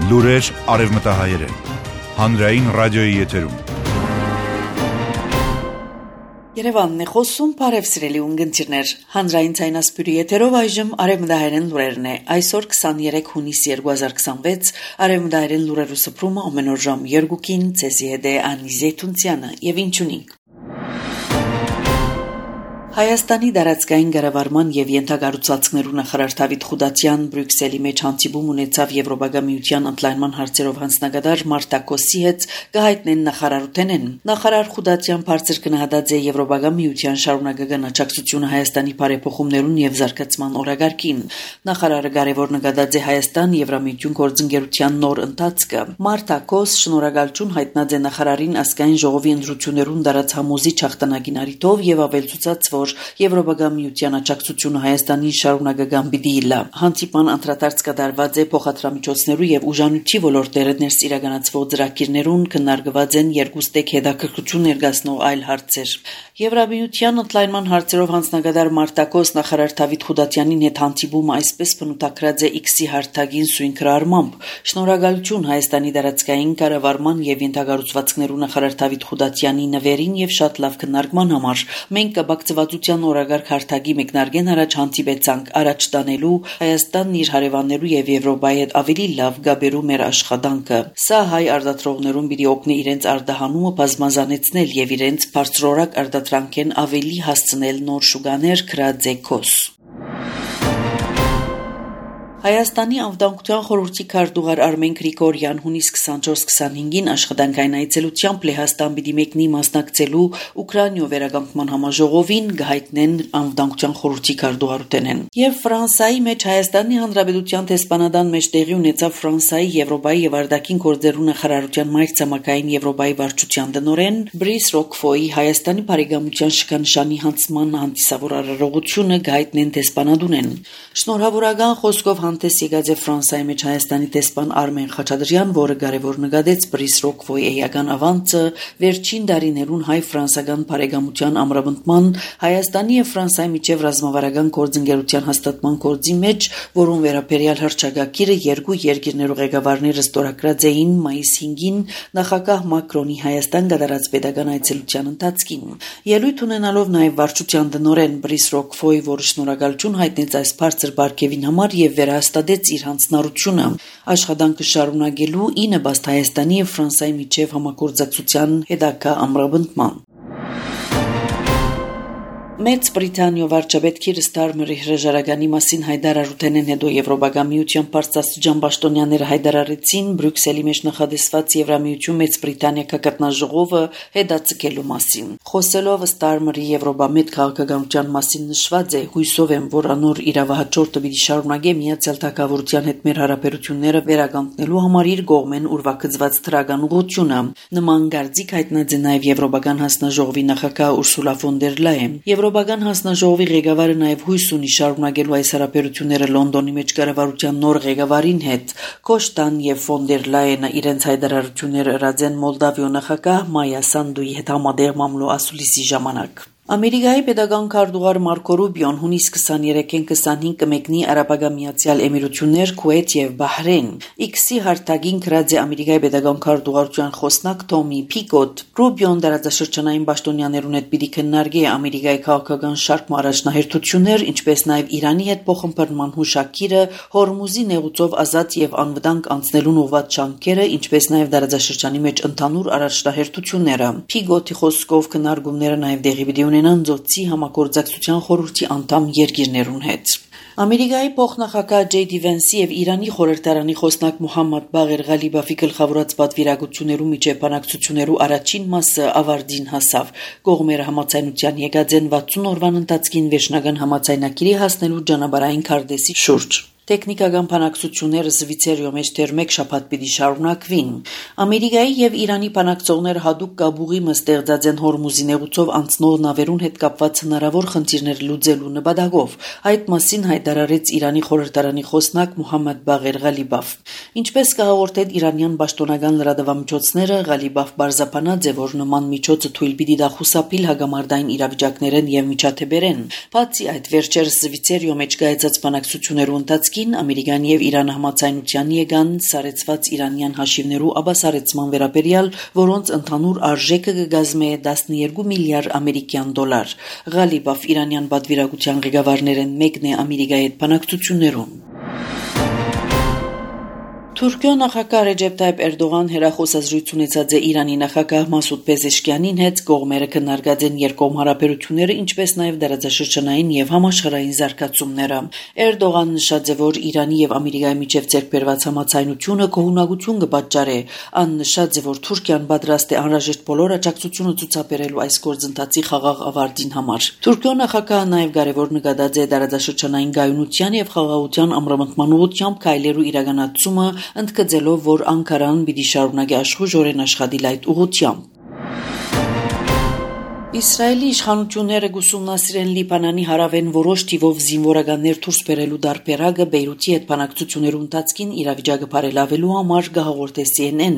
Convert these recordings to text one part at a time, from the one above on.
Լուրեր արևմտահայերեն, հանրային ռադիոյի եթերում։ Երևանն է խոսում, բարև սիրելի ունգընտիրներ, հանրային ցայնասպյուրի եթերով այժմ արևմտահայերեն լուրերն է, այսօր 23 հունիս 2026, արևմտահայերեն լուրերու սփռումը ամեն օր ժամ 2-ին, ցեզի հետ է Անի Զեյթունցյանը եւ ինչունիկ։ Հայաստանի դարածքային կառավարման եւ ենթակառուցվածքներու նախարար Դավիթ Խուդատյան Բրյուսելի մեջ հանդիպում ունեցավ Եվրոպական միության ընդլայնման հարցերով հանձնագետար Մարտա Կոսի հետ կհայտնեն նախարարութենեն։ Նախարար Խուդատյան բարձր գնահատած է Եվրոպական միության շարունակական աջակցությունը Հայաստանի բարեփոխումներուն եւ զարգացման օրագարկին։ Նախարարը կարևոր նկատած է Հայաստան-Եվրամիություն գործընկերության նոր ընթացքը։ Մարտա Կոս շնորհակալություն հայտնած է նախարարին ազգային ժողովի ընտրություններուն դարած համոզի հաղթանակին առիթով եւ ավելցուցած, որ Եվրոպական միության աջակցությունը Հայաստանի շարունակական պիտի լա։ Հանդիպման անդրադարձ կատարված է փոխադրամիջոցներու եւ ուժանույթի ոլորտները ներս իրականացվող ծրագիրներուն քննարկված են երկուստեք հետաքրքրություն ներկայացնող այլ հարցեր։ Եվրամիության ընդլայնման հարցերով հանձնագետար Մարտա Կոս նախարար Դավիթ Խուդատյանին հետ հանդիպումը այսպես բնութագրած է X-ի հարթակին սույն քրարմամբ։ Շնորհակալություն Հայաստանի դարածքային կառավարման եւ ենթակառուցվածքներու նախարար Դավիթ Խուդատյանի նվերին եւ շատ լավ քննարկման համար։ Մենք կբակցվածության օրագարկ հարթակի մեկնարկեն առաջ հանդիպեցանք առաջ տանելու Հայաստանն իր հարևաններու եւ Եվրոպայի հետ ավելի լավ գաբերու մեր աշխատանքը։ Սա հայ արտադրողներուն պիտի օգնի իրենց արտահանումը բազմազանեցնել եւ իրենց բարձրորակ արտադրանքեն ավելի հասցնել նոր շուկաներ քրաձեկոս։ Հայաստանի անվտանգության խորհրդի քարտուղար Արմեն Գրիգորյան հունիս 24-25-ին աշխատանքային այցելությամբ Լեհաստան պիտի մեկնի մասնակցելու Ուկրաինայով վերականգնման համաժողովին գահիտնեն անվտանգության խորհրդի քարտուղարութենեն։ Եվ Ֆրանսիայի մեջ Հայաստանի Հանրապետության դեսպանատան մեջ տեղի ունեցավ Ֆրանսիայի, Եվրոպայի եւ Արտաքին գործերու նախարարության մայրցամաքային Եվրոպայի վարչության տնօրեն Բրիս Ռոկֆոյի Հայաստանի բարեկամության շքանշանի հանձնման հանդիսավոր արարողությունը գահիտնեն դեսպանատունեն։ Շնորհավորական խոսքով հանդես եկած է Ֆրանսիայի մեջ Հայաստանի դեսպան Արմեն Խաչատրյան, որը կարևոր նկատեց Բրիս Ռոկֆոյի էական ավանցը վերջին տարիներուն հայ-ֆրանսական բարեկամության ամրապնդման Հայաստանի եւ Ֆրանսիայի միջև ռազմավարական գործընկերության հաստատման գործի մեջ, որոնց վերաբերյալ հռչակագիրը երկու երկիրներու ղեկավարները ստորագրած էին մայիս 5-ին նախագահ Մակրոնի Հայաստան կատարած պետական այցելության ընթացքին։ Ելույթ ունենալով նաեւ վարչության տնօրեն Բրիս Ռոկֆոյի, որը շնորհակալություն հայտնեց այս բարձր բարգեւին համար եւ վերահաստատեց իր հանձնառությունը աշխատանքը շարունակելու ի նպաստ Հայաստանի եւ Ֆրանսիայի միջև համագործակցության հետագա ամրապնդման։ Մեծ Բրիտանիա վարչապետ Քիր Ստարմերի հրաժարականի մասին հայտարարութենեն հետո Եվրոպական միության բարձրաստիճան պաշտոնյաները հայտարարեցին Բրյուսելի մեջ նախադեсված Եվրամիություն Մեծ Բրիտանիա կգտնաժողովը հետաձգելու մասին։ Խոսելով Ստարմերի Եվրոպամետ քաղաքականության մասին նշված է. հույսով եմ, որ անոր իրավահաջորդը պիտի շարունակե Միացյալ Թագավորության հետ մեր հարաբերությունները վերականգնելու համար իր կողմեն ուրվագծված դրական ուղղությունը։ Նման գարձիկ հայտնած է նաև Եվրոպական հանձնաժողովի նախագահ Ուրսուլա ֆոն դեր Լայեն։ Եվրոպական հանձնաժողովի ղեկավարը նաև հույս ունի շարունակելու այս հարաբերությունները Լոնդոնի մեջ կառավարության նոր ղեկավարին հետ։ Կոշտան եւ ֆոն դեր Լայենը իրենց հայտարարությունները ըրած են Մոլդավիո նախագահ Մայա Սանդուի հետ համատեղ մամլո ասուլիսի ժամանակ։ Ամերիկայի պետական քարտուղար Մարկո Ռուբիոն հունիս 23-ին 25 կմեկնի Արաբական Միացյալ Էմիրություններ, Քուվեյթ եւ Բահրեյն։ X-ի հարթակին գրած է Ամերիկայի պետական քարտուղարության խոսնակ Թոմի Փիկոտ։ Ռուբիոն դարաձաշրջանային պաշտոնյաներուն հետ պիտի քննարկի Ամերիկայի քաղաքական շարք առաջնահերթություններ, ինչպես նաեւ Իրանի հետ փոխըմբռնման հուշագիրը, Հորմուզի նեղուցով ազատ եւ անվտանգ անցնելուն ուղղված շանքերը, ինչպես նաեւ դարաձաշրջանի մեջ ընդհանուր առաջնահերթությունները։ Փիկոտի խոսքով քննարկումները նաեւ դեղի պիտի Նանձոցի համագործակցության խորհրդի անդամ երկիրներուն հետ։ Ամերիկայի փոխնախագահ Ջեյ Վենսի եւ Իրանի խորհրդարանի խոսնակ Մոհամմադ Բաղեր Ղալիբաֆի գլխավորած պատվիրակություններու միջև բանակցություններու առաջին մասը ավարտին հասավ։ Կողմերը համաձայնության եկած են 60 օրվան ընթացքին վերջնական համաձայնագիրի հասնելու ճանապարհային քարտեզի շուրջ։ Տեխնիկական բանակցությունները Զվիցերիո մեջ դեռ մեկ շաբաթ պիտի շարունակվին։ Ամերիկայի եւ Իրանի բանակցողները հadoop կաբուղի մստեղծած են Հորմուզի նեղուցով անցնող նավերուն հետ կապված հնարավոր խնդիրներ լուծելու նպատակով։ Այդ մասին հայտարարեց Իրանի խորհրդարանի խոսնակ Մոհամմադ Բաղեր Ղալիբաֆ։ Ինչպես կհաղորդել իրանյան պաշտոնական լրատվամիջոցները, Ղալիբաֆ բարձրապանած է, որ նման միջոցը թույլ պիտի դա խուսափիլ հագամարտային իրավիճակներեն եւ միջադեպերեն։ Բացի այդ, վերջերս Զվիցերիո մեջ կայացած բանակցություններու ընթացքին ընթացքին Ամերիկան եւ Իրանը համաձայնության եկան սարեցված իրանյան հաշիվներու աբասարեցման վերաբերյալ, որոնց ընդհանուր արժեքը կգազմե 12 միլիարդ ամերիկյան դոլար։ Ղալիբաֆ իրանյան պատվիրակության ղեկավարներն մեկն է Ամերիկայի հետ բանակցություններում։ Թուրքիո նախագահ Ռեջեփ Թայիփ Էրդողան հերախոսազրույց ունեցած է Իրանի նախագահ Մասուդ Պեզեշքյանին հետ, կողմերը քննարկած են երկկողմ հարաբերությունները, ինչպես նաև դարաձաշրջանային եւ համաշխարհային զարգացումները։ Էրդողան նշած է, որ Իրանի եւ Ամերիկայի միջև ձեռքբերված համաձայնությունը կողմնակություն կպատճառի, ան նշած է, որ Թուրքիան պատրաստ է անհրաժեշտ բոլոր աջակցությունը ցուցաբերելու այս գործընթացի խաղաղ ավարտին համար։ Թուրքիո նախագահը նաև կարևոր նկատած է դարաձաշրջանային գայունության եւ խաղաղության ամրապնդման ուղղությամբ քայլերու իրականացումը, ընդգծելով, որ Անկարան պիտի շարունակի աշխուժորեն աշխատել այդ ուղղությամբ։ Իսրայելի իշխանությունները գուսումնասիրեն Լիբանանի հարավեն որոշ թիվով զինվորականներ դուրս բերելու դարբերակը Բեյրութի հետ բանակցություններու ընթացքին իրավիճակը բարելավելու համար գահորտե CNN։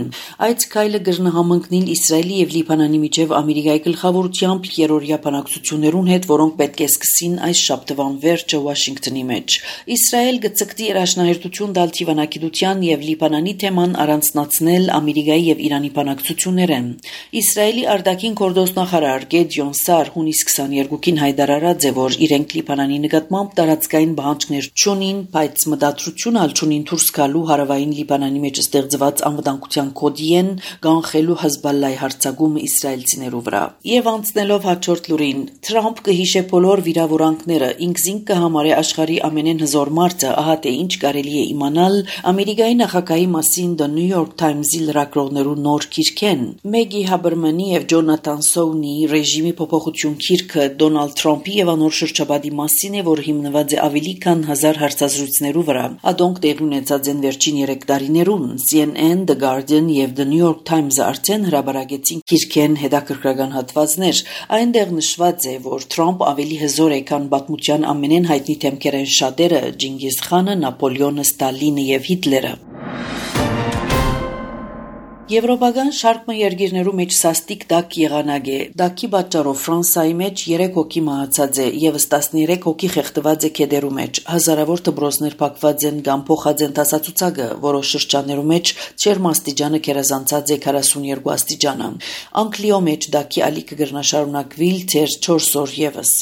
Այդ քայլը կրնահամընկնել Իսրայելի եւ Լիբանանի միջև Ամերիկայի գլխավորությամբ երրորդյա բանակցություններուն հետ, որոնք պետք է սկսին այս շաբթվան վերջը Վաշինգտոնի մեջ։ Իսրայել գծկտի երաշնահերթություն տալ թիվանակիտության եւ Լիբանանի թեման առանցնացնել Ամերիկայի եւ Իրանի բանակցություններեն։ Իսրայելի արտաքին գործոստնախարար Գեդիոն Սար հունիս 22-ին հայտարարած է, որ իրենք Լիբանանի նկատմամբ տարածքային պահանջներ չունին, բայց մտադրություն ալչունին դուրս գալու հարավային Լիբանանի մեջ ստեղծված անվտանգության կոդի են կանխելու Հեզբոլլայի հարձակումը իսրայելցիներու վրա։ Եվ անցնելով հաջորդ լուրին, Թրամփ կհիշե բոլոր վիրավորանքները, ինքզինք կհամարի աշխարհի ամենեն հզոր մարդը, ահա թե ինչ կարելի է իմանալ Ամերիկայի նախագահի մասին The New York Times-ի լրագրողներու նոր գիրքեն։ Մեգի Հաբերմանի եւ Ջոնաթան Սոունի ռեժիմի փոփոխություն գիրքը Դոնալդ Թրամփի եւ անոր շրջապատի մասին է, որ հիմնված է ավելի քան 1000 հարցազրույցներու վրա։ Ադոնք տեղի ունեցած են վերջին 3 տարիներուն։ CNN, The Guardian եւ The New York Times-ը արդեն հրաբարակեցին գիրքեն հետաքրքրական հատվածներ։ Այնտեղ նշված է, որ Թրամփ ավելի հզոր է, քան պատմության ամենեն հայտնի թեմքերեն շատերը՝ Ջինգիզ Խանը, Նապոլեոնը, Ստալինը եւ Հիտլերը։ Եվրոպական շարք երկիրներու մեջ սաստիկ դակ եղանակ է։ Դակի պատճառով Ֆրանսիայի մեջ 3 հոգի մահացած է, եւս 13 հոգի խեղդված է քեդերու մեջ։ Հազարավոր դպրոցներ փակված են կամ փոխած են տասացուցակը, որոշ շրջաններու մեջ ջերմաստիճանը գերազանցած է 42 աստիճանը։ Անգլիո մեջ դակի ալիքը կգրնաշարունակվիլ թեր 4 օր եւս։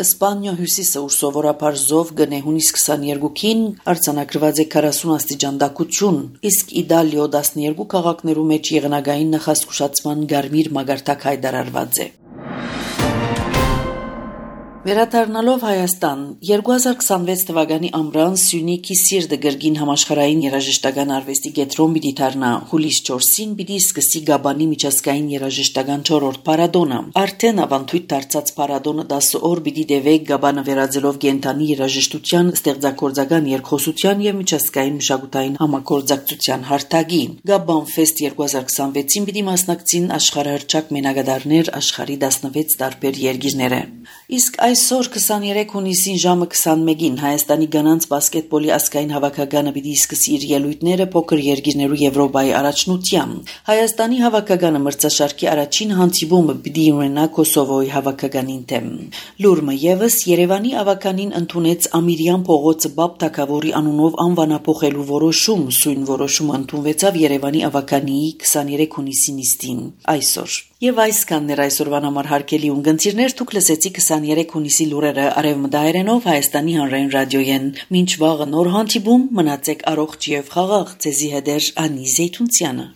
Իսպանիա հյուսիսը, ուր սովորաբար զով գնե հունիս 22-ին արձանագրված է 40 աստիճան դակություն, իսկ Իտալիո 12 քաղաքներու եղնագային նախազգուշացման գարմիր մագարտակ հայտարարված է։ Վերադառնալով Հայաստան, 2026 թվականի ամռան Սյունիքի Սիրտը գրգին համաշխարհային երաժշտական արվեստի կենտրոն պիտի դառնա։ Հուլիս 4-ին պիտի սկսի Գաբանի միջազգային երաժշտական 4-րդ փառատոնը։ Արդեն ավանդույթ դարձած փառատոնը 10 օր պիտի դեվե Գաբանը վերածելով կենթանի երաժշտության, ստեղծագործական երկխոսության եւ միջազգային մշակութային համագործակցության հարթակի։ Գաբան Fest 2026-ին պիտի մասնակցին աշխարհահռչակ մենակատարներ աշխարհի 16 տարբեր երկիրները։ Իսկ այսօր 23 հունիսին ժամը 21-ին Հայաստանի գանանց բասկետբոլի ազգային հավաքականը պիտի սկսի իր ելույթները փոքր երկիրներու Եվրոպայի առաջնությամբ։ Հայաստանի հավաքականը մրցաշարքի առաջին հանդիպումը պիտի ունենա Կոսովոյի հավաքականին դեմ։ Լուրը եւս Երևանի ավականին ընդունեց Ամիրյան փողոցը Բաբ Թագավորի անունով անվանափոխելու որոշում, սույն որոշումը ընդունվեցավ Երևանի ավականի 23 հունիսի նիստին այսօր։ Եվ այսքանն էր այսօրվան համար հարգելի ունգընտիրներ, դուք լսեցիք 23 հունիսի լուրերը արևմտահայերենով Հայաստանի հանրային ռադիոյեն։ Մինչ վաղը նոր հանդիպում, մնացեք առողջ եւ խաղաղ, ձեզի հետ Անի Զեյթունցյանը։